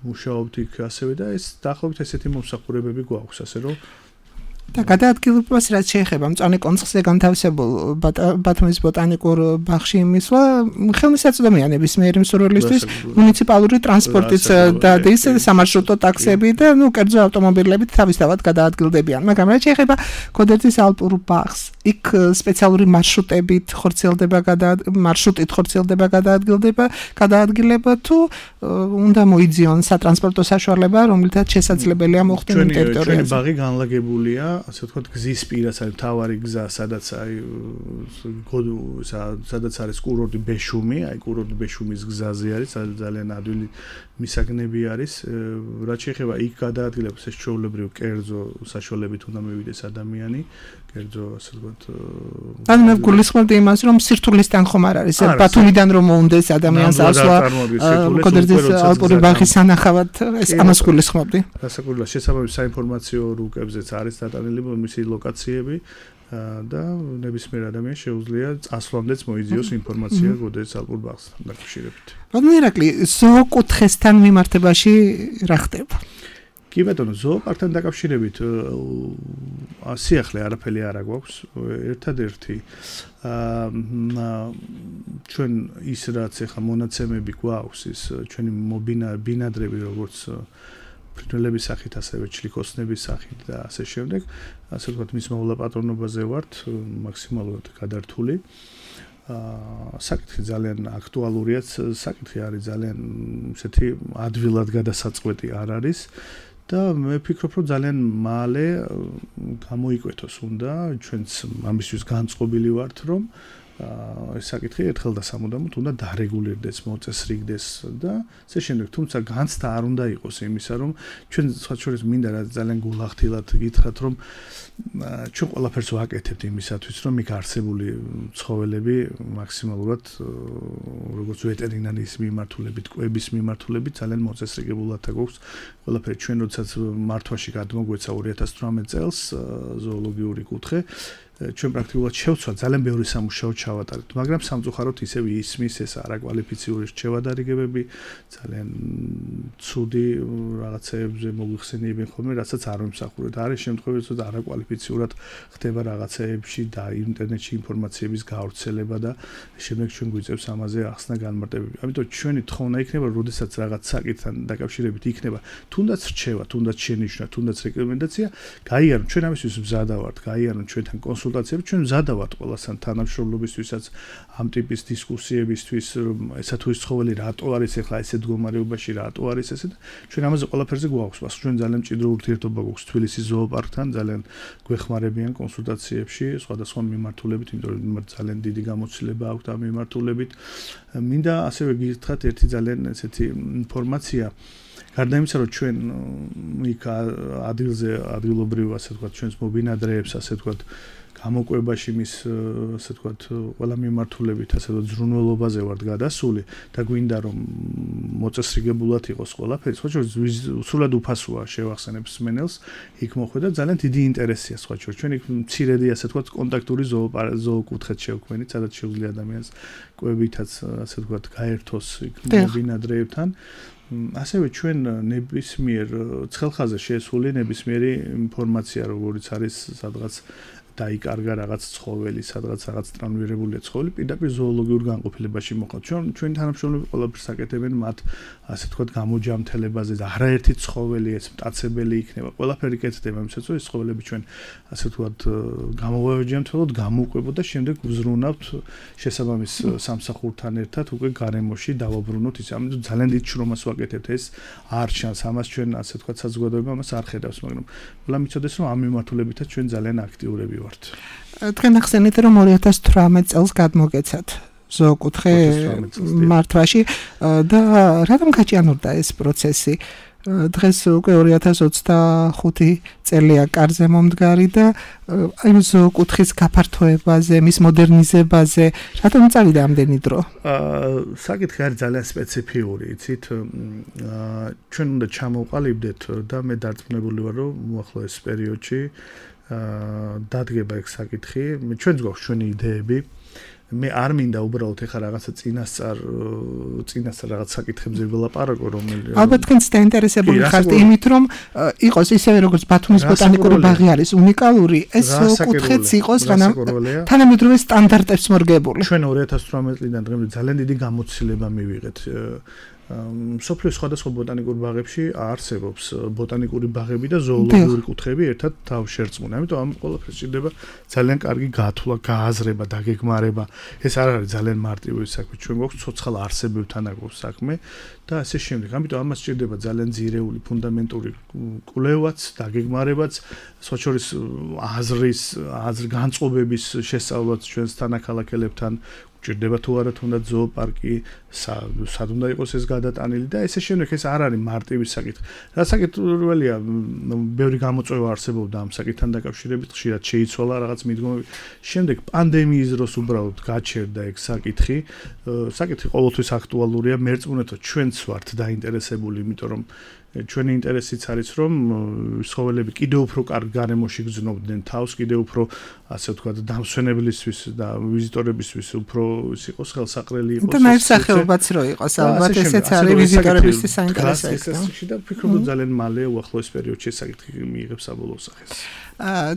მუშაობთ იქ ასევე და ეს დაახლოებით ესეთი მომსახურებები გვაქვს, ასე რომ და გადაადგილებას რაც შეეხება მწვანე კონცხზე განთავსებულ ბათუმის ბოტანიკურ ბაღში მისვლა ხელმისაწვდომია ნებისმიერი მსურველისთვის მუნიციპალური ტრანსპორტიც დადის სამარშრუტო ტაქსები და ნუ კერძო ავტომობილებით თავისთავად გადაადგილდებიან. მაგრამ რაც შეეხება გოდერდის ალპურ ბაღს, იქ სპეციალური მარშრუტებით ხორციელდება მარშრუტით ხორციელდება გადაადგილდება გადაადგილება თუ უნდა მოიძიონ სატრანსპორტო საშუალება, რომლითაც შესაძლებელია მოხვდნენ იმ ტერიტორიაზე. ჩვენი ბაღი განლაგებულია ასე ვთქვათ გზის პირას არის მთავარი გზა, სადაც აი სადაც არის კურორტი ბეშუმი, აი კურორტი ბეშუმის გზაზე არის, ძალიან ადვილი მისაგნები არის. რაც შეეხება იქ გადაადგილებას, ეს ჩვეულებრივ კერძო საშუალებით უნდა მივიდეს ადამიანი, კერძო ასე ვთქვათ. ანუ მე გულისხმობდი იმას, რომ სირთულისთან ხომ არ არის, ბათუმიდან რომ მოუნდეს ადამიანს ასვლა გოდერდის ალპური ბაღის სანახავად, ეს ამას გულისხმობდი. გასაკუთრებულად შესაბამის საინფორმაციო რუკებზეც არის დატანილი მისი ლოკაციები და ნებისმიერ ადამიანს შეუძლია წასვლამდეც მოიძიოს ინფორმაცია გოდერდის ალპურ ბაღსთან დაკავშირებით. ბატონო ირაკლი, ზოოკუთხესთან მიმართებაში რა ხდება? კი ბატონო, ზოოპარკთან დაკავშირებით სიახლე არაფერი არ აქვს. ერთადერთი ჩვენ ის რაც ახლა მონაცემები გვაქვს, ის ჩვენი ბინადრები როგორც ფრინველების სახით, ასევე ჩლიქოსნების სახით და ასე შემდეგ, ასე ვთქვათ, მის მოვლა პატრონობაზე ვართ მაქსიმალურად გადართული. საკითხი ძალიან აქტუალურია, საკითხი არის ძალიან ისეთი ადვილად გადასაწყვეტი არ არის და მე ვფიქრობ, რომ ძალიან მალე გამოიკვეთოს უნდა, ჩვენც ამისთვის განწყობილი ვართ, რომ ეს საკითხი ერთხელ და სამუდამოდ უნდა დარეგულირდეს, მოწესრიგდეს და ასე შემდეგ. თუმცა განცდა არ უნდა იყოს იმისა, რომ ჩვენ სხვა შორის მინდა რა ძალიან გულახდილად გითხრათ, რომ ჩვენ ყველაფერს ვაკეთებთ იმისათვის, რომ იქ არსებული ცხოველები მაქსიმალურად როგორც ვეტერინარის მიმართულებით, კვების მიმართულებით ძალიან მოწესრიგებულად აქვს ყველაფერი. ჩვენ როდესაც მართვაში გადმოგვეცა ორი ათას თვრამეტ წელს ზოოლოგიური კუთხე, ჩვენ პრაქტიკულად შევცვალ ძალიან ბევრი სამუშაო ჩავატარეთ, მაგრამ სამწუხაროდ ისევ ისმის ეს არაკვალიფიციური რჩევადარიგებები, ძალიან ცუდი რაღაცეებზე მოგვიხსენიებენ ხოლმე, რასაც არ ვიმსახურეთ. არის შემთხვევები, რომ არაკვალიფიციურად ხდება რაღაცეებში და ინტერნეტში ინფორმაციების გავრცელება და შემდეგ ჩვენ გვიწევს ამაზე ახსნა განმარტებები. ამიტომ ჩვენი თხოვნა იქნება, როდესაც რაღაც საკითხთან დაკავშირებით იქნება, თუნდაც რჩევა, თუნდაც შენიშვნა, თუნდაც რეკომენდაცია, გაიარონ, ჩვენ ამისთვის მზადა ვართ, გაიარონ ჩვენთან კონსულტაცია კონსულტაციები ჩვენ მზადა ვართ ყველასთან თანამშრომლობისთვისაც ამ ტიპის დისკუსიებისთვის ესა თუ ის ცხოველი რატო არის ახლა ესეთ მდგომარეობაში რატო არის ესე და ჩვენ ამაზე ყველაფერზე გვაქვს მას ჩვენ ძალიან მჭიდრო ურთიერთობა გვაქვს თბილისის ზოოპარკთან ძალიან გვეხმარებიან კონსულტაციებში სხვადასხვა მიმართულებით იმიტომ რომ ძალიან დიდი გამოცდილება აქვთ ამ მიმართულებით მინდა ასევე გითხრათ ერთი ძალიან ესეთი ინფორმაცია გარდა იმისა რომ ჩვენ იქ ადგილზე ადგილობრივ ასე ვთქვათ ჩვენს მობინადრეებს ასე ვთქვათ გამოკვებაში მის ასე ვთქვათ ყველა მიმართულებით ასე ვთქვათ ზრუნველობაზე ვართ გადასული და გვინდა რომ მოწესრიგებულად იყოს ყველაფერი სხვა შორის სულად უფასოა შევახსენებ მსმენელს იქ მოხვედა ძალიან დიდი ინტერესია სხვა შორის ჩვენ იქ მცირედი ასე ვთქვათ კონტაქტური ზოოკუთხედს შევქმნით სადაც შეუძლია ადამიანს კვებითაც ასე ვთქვათ გაერთოს იქ მობინადრეებთან ასევე ჩვენ ნებისმიერ ცხელხაზე შესული ნებისმიერი ინფორმაცია როგორც არის სადღაც დაიკარგა რაღაც ცხოველი, სადღაც რაღაც ტრანსფერირებული ცხოველი, პირდაპირ ზოოლოგიურ განყოფილებაში მოყავთ. ჩვენ ჩვენი თანამშრომლები ყველაფერს აკეთებენ მათ, ასე ვთქვათ, გამოჯამთელებაზე და არაერთი ცხოველი ეს მტაცებელი იქნება. ყველაფერი კეთდება იმისაც, რომ ეს ცხოველები ჩვენ ასე ვთქვათ, გამოვაჯამთელოთ, გამოვყვებოთ და შემდეგ ვზრუნავთ შესაბამის სამსახურთან ერთად უკვე გარემოში დავაბრუნოთ ის. ამიტომ ძალიან დიდ შრომას ვაკეთებთ ეს არ ჩანს ამას ჩვენ ასე ვთქვათ საზოგადოება ამას არ ხედავს, მაგრამ ყველა მიცოდეს რომ ამ მიმართულებითაც ჩვენ ძალიან აქტიურები თქვენ ახსენეთ რომ ორი ათას თვრამეტ წელს გადმოგეცათ ზოოკუთხე მართვაში და რატომ გაჭიანურდა ეს პროცესი დღეს უკვე ორი ათას ოცდახუთი წელია კარზე მომდგარი და აი ზოოკუთხის გაფართოებაზე, მის მოდერნიზებაზე რატომ წავიდა ამდენი დრო? აა საკითხი არის ძალიან სპეციფიური, იცით? აა ჩვენ უნდა ჩამოვყალიბდეთ და მე დარწმუნებული ვარ რომ უახლოეს პერიოდში დადგება ეგ საკითხი. ჩვენც გვაქვს ჩვენი იდეები. მე არ მინდა უბრალოდ ეხა რაღაცა წინასწარ წინასწარ რაღაც საკითხებზე ველაპარაკო რომელიც ალბათ თქვენც დაინტერესებული ხართ იმით რომ იყოს ისევე როგორც ბათუმის ბოტანიკური ბაღი არის უნიკალური ეს კუთხეც იყოს თანამედროვე სტანდარტებს მორგებული. ჩვენ ორი ათას თვრამეტ წლიდან დღემდე ძალიან დიდი გამოცდილება მივიღეთ. სოფლის სხვადასხვა ბოტანიკურ ბაღებში არსებობს ბოტანიკური ბაღები და ზოოლოგიური კუთხეები ერთად თავშერწყმული. ამიტომ ამ ყველაფერს სჭირდება ძალიან კარგი გათვლა, გააზრება, დაგეგმარება. ეს არ არის ძალიან მარტივი საქმე. ჩვენ გვაქვს ცოცხალ არსებებთან აქვს საქმე და ასე შემდეგ. ამიტომ ამას სჭირდება ძალიან ძირეული ფუნდამენტური კვლევაც, დაგეგმარებაც, სხვა შორის აზრის, აზრ განწყობების შესწავლაც ჩვენს თანაქალაქელებთან ჭირდება თუ არა თუნდაც ზოოპარკი, სად უნდა იყოს ეს გადატანილი და ესე შემდეგ ეს არ არის მარტივი საკითხი. რა საკითხია, ბევრი გამოწვევა არსებობდა ამ საკითხთან დაკავშირებით, ხშირად შეიცვალა რაღაც მიდგომები. შემდეგ პანდემიის დროს უბრალოდ გაჩერდა ეგ საკითხი. საკითხი ყოველთვის აქტუალურია, მერწმუნეთ რომ ჩვენც ვართ დაინტერესებული, იმიტომ რომ ჩვენი ინტერესიც არის რომ ცხოველები კიდევ უფრო კარგ გარემოში გრძნობდნენ თავს, კიდევ უფრო ასე ვთქვათ, დამსვენებლისთვის და ვიზიტორებისთვის უფრო ის იყოს ხელსაყრელი იყოს. და ნაირსახეობაც რო იყოს, ალბათ ესეც არის ვიზიტორებისთვის საინტერესო. და ვფიქრობ რომ ძალიან მალე უახლოეს პერიოდში ეს საკითხი მიიღებს საბოლოო სახეს.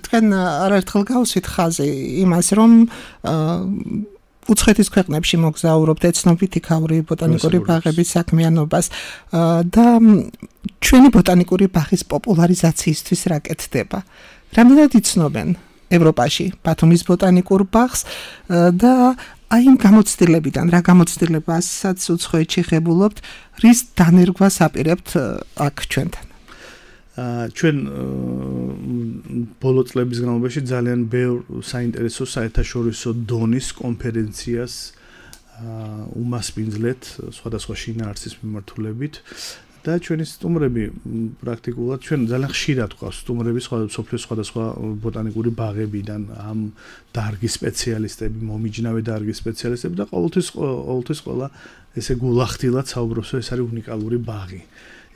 თქვენ არაერთხელ გავუსვით ხაზი იმას რომ უცხეთის ქვეყნებში მოგზაურობთ ეცნობით იქაური ბოტანიკური ბაღების საქმიანობას და ჩვენი ბოტანიკური ბაღის პოპულარიზაციისთვის რა კეთდება? რამდენად იცნობენ ევროპაში ბათუმის ბოტანიკურ ბაღს და აი იმ გამოცდილებიდან რა გამოცდილებასაც უცხოეთში ღებულობთ, რის დანერგვას აპირებთ აქ ჩვენთან? ჩვენ ბოლო წლების განმავლობაში ძალიან ბევრ საინტერესო საერთაშორისო დონის კონფერენციას უმასპინძლეთ სხვადასხვა შინაარსის მიმართულებით და ჩვენი სტუმრები პრაქტიკულად ჩვენ ძალიან ხშირად გვყავს სტუმრები სოფლის სხვადასხვა ბოტანიკური ბაღებიდან ამ დარგის სპეციალისტები, მომიჯნავე დარგის სპეციალისტები და ყოველთვის ყოველთვის ყველა ესე გულახდილად საუბრობს, რომ ეს არის უნიკალური ბაღი.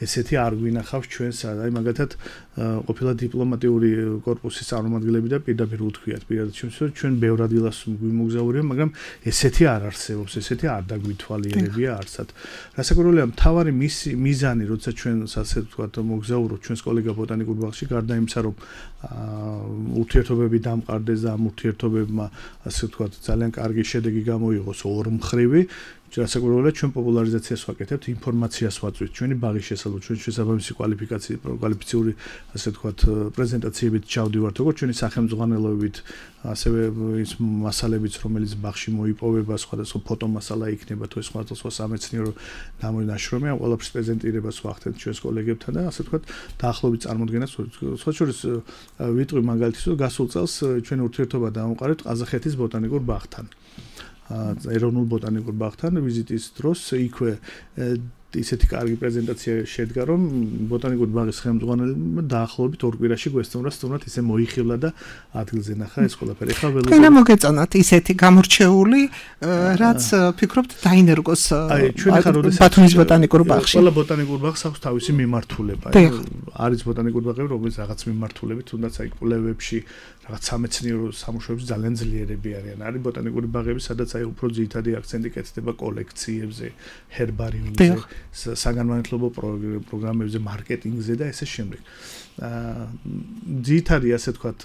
ესეთი არ გვინახავს ჩვენს, აი მაგათად ყოფილი დიპლომატიური კორპუსის წარმომადგენლები და პირდაპირ უთქვიათ, პირადად ჩვენს, რომ ჩვენ ბევრ ადგილას გვიმოგზაურია, მაგრამ ესეთი არ არსებობს, ესეთი არ დაგვითვალიერებია არსად. რასაკვირველია, მთავარი მიზანი, როცა ჩვენ ასე ვთქვათ, მოგზაურობთ ჩვენს კოლეგა ბოტანიკურ ბაღში, გარდა იმისა, რომ ურთიერთობები დამყარდეს და ამ ურთიერთობებმა ასე ვთქვათ, ძალიან კარგი შედეგი გამოიღოს ორმხრივი რასაკვირველია ჩვენ პოპულარიზაციას ვაკეთებთ, ინფორმაციას ვაწვით, ჩვენი ბაღის შესაძლებლად, ჩვენ შესაბამისი კვალიფიკაციის, კვალიფიციური, ასე ვთქვათ, პრეზენტაციებით ჩავდივართ, როგორც ჩვენი სახელმძღვანელოებით, ასევე ის მასალებიც, რომელიც ბაღში მოიპოვება, სხვადასხვა ფოტომასალა იქნება, თუ სხვადასხვა სამეცნიერო ნაშრომი, ამ ყველაფრის პრეზენტირებას ვახდენთ ჩვენს კოლეგებთან და ასე ვთქვათ, დაახლოებით წარმოდგენას, სხვა შორის ვიტყვი მაგალითის, რომ გასულ წელს ჩვენ ურთიერთობა დავამყარეთ ყაზახეთის ბოტანიკურ ბაღთან. ეროვნულ ბოტანიკურ ბაღთან ვიზიტის დროს იქვე ისეთი კარგი პრეზენტაცია შედგა, რომ ბოტანიკური ბაღის ხელმძღვანელმა დაახლოებით ორ კვირაში გვესწორა სტუმრად ისე მოიხილა და ადგილზე ნახა ეს ყველაფერი. ხა ველოდები. თქვენ მოგეწონათ ისეთი გამორჩეული, რაც ფიქრობთ დაინერგოს ბათუმის ბოტანიკურ ბაღში. ყველა ბოტანიკურ ბაღს აქვს თავისი მიმართულება. არის ბოტანიკური ბაღები, რომელიც რაღაც მიმართულებით, თუნდაც აი კვლევებში, რაღაც სამეცნიერო სამუშაოებში ძალიან ძლიერები არიან. არის ბოტანიკური ბაღები, სადაც აი უფრო ძირითადი აქცენტი კეთდება კოლექციებზე, ჰერბარიუმზე, საგანმანათლებლო პროგრამებზე, მარკეტინგზე და ესე შემდეგ. აა ძირითადი ასე ვთქვათ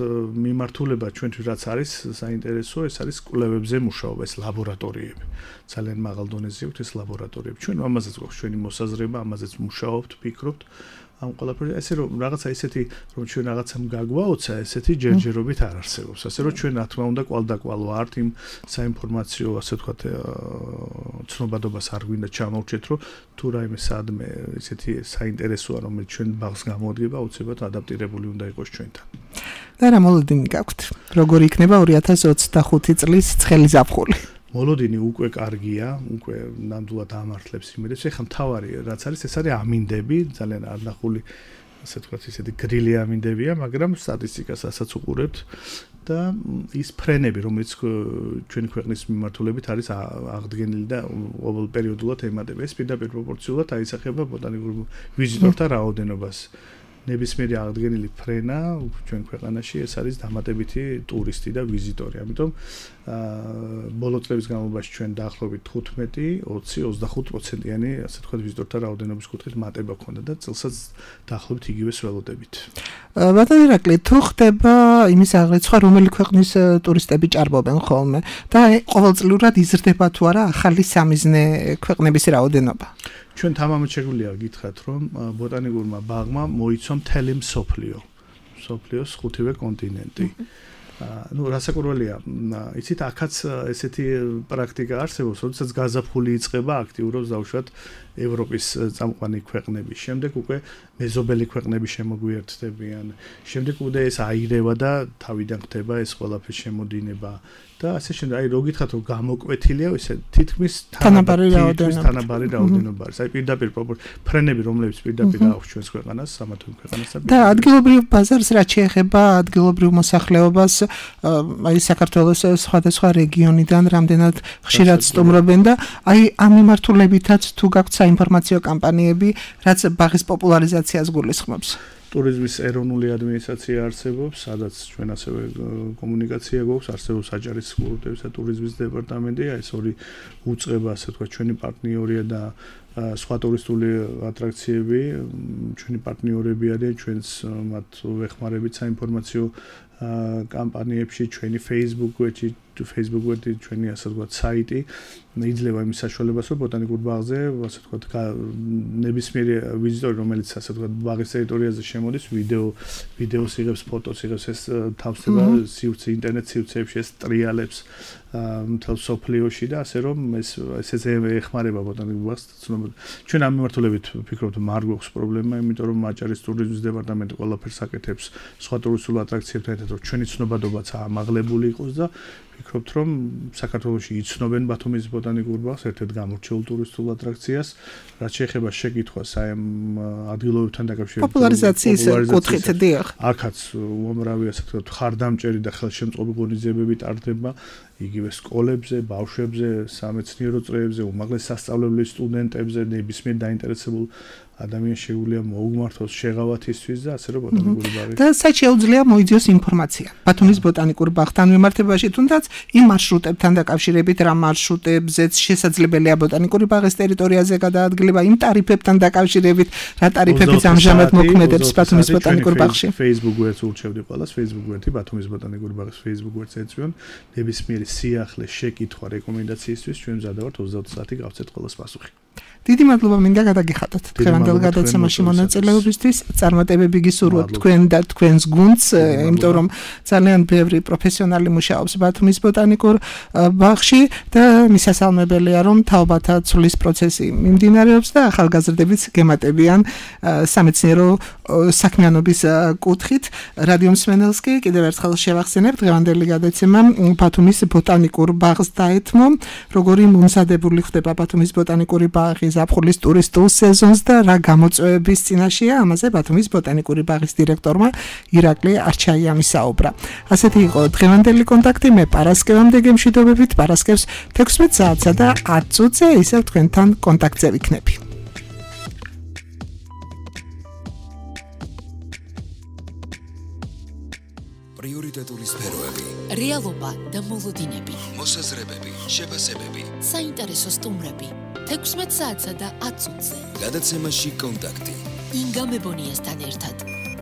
მიმართულება ჩვენთვის რაც არის საინტერესო, ეს არის კვლევებზე მუშაობა, ეს ლაბორატორიები. ძალიან მაღალ დონეზე აქვს ეს ლაბორატორიები. ჩვენ ამაზეც გვაქვს ჩვენი მოსაზრება, ამაზეც მუშაობთ, ფიქრობთ. ამ ყველაფერი ესე რომ რაღაცა ისეთი რომ ჩვენ რაღაცამ გაგვაოცა, ესეთი ჯერჯერობით არ არსებობს. ასე რომ ჩვენ რა თქმა უნდა კვალდაკვალ ვართ იმ საინფორმაციო, ასე ვთქვათ, ცნობადობას არ გვინდა ჩამოვჭეთ, რომ თუ რაიმე სადმე ესეთი საინტერესოა, რომელიც ჩვენ ბაღს გამოადგება, აუცილებლად ადაპტირებული უნდა იყოს ჩვენთან. და რა მოლოდინი გაქვთ? როგორ იქნება ორი ათას ოცდახუთი წლის ცხელი ზაფხული? მოლოდინი უკვე კარგია, უკვე ნამდვილად ამართლებს იმედებს. ეხლა მთავარი რაც არის, ეს არის ამინდები, ძალიან არნახული, ასე ვთქვათ, ისეთი გრილი ამინდებია, მაგრამ სტატისტიკას ასაც უყურებთ და ის ფრენები, რომელიც ჩვენი ქვეყნის მიმართულებით არის აღდგენილი და ყოველ პერიოდულად ემატება, ეს პირდაპირ პროპორციულად აისახება ბოტანიკურ ვიზიტორთა რაოდენობას. ნებისმიერი აღდგენილი ფრენა ჩვენ ქვეყანაში ეს არის დამატებითი ტურისტი და ვიზიტორი. ამიტომ აა ბოლო წლების განმავლობაში ჩვენ დაახლოებით თხუთმეტი, ოცი, ოცდახუთ პროცენტიანი ასე ვთქვათ ვიზიტორთა რაოდენობის კუთხით მატება ქონდა და წელსაც დაახლოებით იგივეს ველოდებით. ბატონო ირაკლი, თუ ხდება იმის აღრიცხვა, რომელი ქვეყნის ტურისტები ჭარბობენ ხოლმე და ყოველწლიურად იზრდება თუ არა ახალი სამიზნე ქვეყნების რაოდენობა? ჩვენ თამამად შეგვიძლია გითხრათ, რომ ბოტანიკურმა ბაღმა მოიცვა მთელი მსოფლიო, მსოფლიოს ხუთივე კონტინენტი. ну რასაკვირველია, იცით, აქაც ესეთი პრაქტიკა არსებობს, როდესაც გაზაფხული იწყება, აქტიურობს დავუშვათ ევროპის წამყვანი ქვეყნები. შემდეგ უკვე მეზობელი ქვეყნები შემოგვიერთდებიან. შემდეგ უკვე ეს აირევა და თავიდან ხდება ეს ყველაფერი შემოდინება. და ასე შემდეგ, აი რო გითხრათ, რომ გამოკვეთილია, ესე თითქმის თანაბარი რაოდენობა. თანაბარი რაოდენობა არის. აი პირდაპირ ფრენები, რომლებიც პირდაპირ აქვს ჩვენს ქვეყანას, სამართლ ქვეყანას და ადგილობრივ ბაზარს რაც შეეხება ადგილობრივ მოსახლეობას, აი საქართველოს სხვადასხვა რეგიონიდან რამდენად ხშირად სტუმრობენ და აი ამ მიმართულებითაც თუ გაქვთ საინფორმაციო კამპანიები, რაც ბაღის პოპულარიზაციას გულისხმობს. ტურიზმის ეროვნული ადმინისტრაცია არსებობს, სადაც ჩვენ ასევე კომუნიკაცია გვაქვს, არსებობს აჭარის კულტურის და ტურიზმის დეპარტამენტი, ეს ორი უწყება, ასე ვთქვათ, ჩვენი პარტნიორია და სხვა ტურისტული ატრაქციები, ჩვენი პარტნიორები არიან, ჩვენს მათ ვეხმარებით საინფორმაციო კამპანიებში, ჩვენი Facebook-ში, Facebook-ში ჩვენი ასე ვთქვათ საიტი იძლევა იმის საშუალებას, რომ ბოტანიკურ ბაღზე, ასე ვთქვათ, ნებისმიერი ვიზიტორი, რომელიც ასე ვთქვათ, ბაღის ტერიტორიაზე შემოდის, ვიდეო ვიდეოს იღებს, ფოტოს იღებს, ეს თავსდება სივრცე, ინტერნეტ სივრცეებში, ეს ტრიალებს მთელ სოფლიოში და ასე რომ ეს ესე ეხმარება ბოტანიკურ ბაღს. ჩვენ ამ მიმართულებით ვფიქრობთ, არ გვაქვს პრობლემა, იმიტომ რომ აჭარის ტურიზმის დეპარტამენტი ყველაფერს აკეთებს სხვა ტურისტულ ატრაქციებთან ერთად, რომ ჩვენი ცნობადობაც ამაღლებული იყოს და ვფიქრობთ, რომ საქართველოში იცნობენ ბათუმის ბოტანიკურ ბაღს, ერთ-ერთ გამორჩეულ ტურისტულ ატრაქციას, რაც შეეხება შეკითხვას აი ამ ადგილობებთან დაკავშირებით პოპულარიზაციის კუთხით, დიახ. აქაც უამრავი ასე ვთქვათ, ხარდამჭერი და ხელშემწყობი ღონისძიებები ტარდება იგივე სკოლებზე, ბავშვებზე, სამეცნიერო წრეებზე, უმაღლეს სასწავლებლების სტუდენტებზე, ნებისმიერ დაინტერესებულ ადამიანს შეუძლია მოუგმართოს შეღავათისთვის და ასე რომ ბოტანიკური ბაღი და საერთოდ შეუძლია მოიძიოს ინფორმაცია ბათუმის ბოტანიკურ ბაღთან მიმართებაში თუნდაც იმ მარშრუტებთან დაკავშირებით რა მარშრუტებზეც შესაძლებელია ბოტანიკური ბაღის ტერიტორიაზე გადაადგილება იმ ტარიფებთან დაკავშირებით რა ტარიფებით ამჟამად მოქმედებს ბათუმის ბოტანიკურ ბაღში Facebook გვერდს ურჩევდი ყველას Facebook გვერდი ბათუმის ბოტანიკური ბაღის Facebook გვერდს ეწვიონ ნებისმიერი სიახლე შეკითხვა რეკომენდაციისთვის ჩვენ მზად ვართ ოცდაოთხ საათი გავცეთ ყველას პასუხი დიდი მადლობა მინდა გადაგიხადოთ დღევანდელ გადაცემაში მონაწილეობისთვის წარმატებები გისურვოთ თქვენ და თქვენს გუნდს იმიტომ რომ ძალიან ბევრი პროფესიონალი მუშაობს ბათუმის ბოტანიკურ ბაღში და მისასალმებელია რომ თაობათა ცვლის პროცესი მიმდინარეობს და ახალგაზრდებიც გემატებიან სამეცნიერო საქმიანობის კუთხით რადიო მსმენელს კი კიდევ ერთხელ შევახსენებ დღევანდელი გადაცემა ბათუმის ბოტანიკურ ბაღს დაეთმო როგორი მომზადებული ხდება ბათუმის ბოტანიკური ბაღი ზაფხულის ტურისტულ სეზონს და რა გამოწვევების წინაშეა ამაზე ბათუმის ბოტანიკური ბაღის დირექტორმა ირაკლი არჩაიამი საუბრა. ასეთი იყო დღევანდელი კონტაქტი მე პარასკევამდე გემშვიდობებით პარასკევს თექვსმეტ საათსა და ათ წუთზე ისევ თქვენთან კონტაქტზე ვიქნები. პრიორიტეტული სფეროები, რეალობა და მოლოდინები, მოსაზრებები, შეფასებები, საინტერესო სტუმრები, თექვსმეტ საათსა და ათ წუთზე. გადაცემაში კონტაქტი. ინგა მებონიასთან ერთად.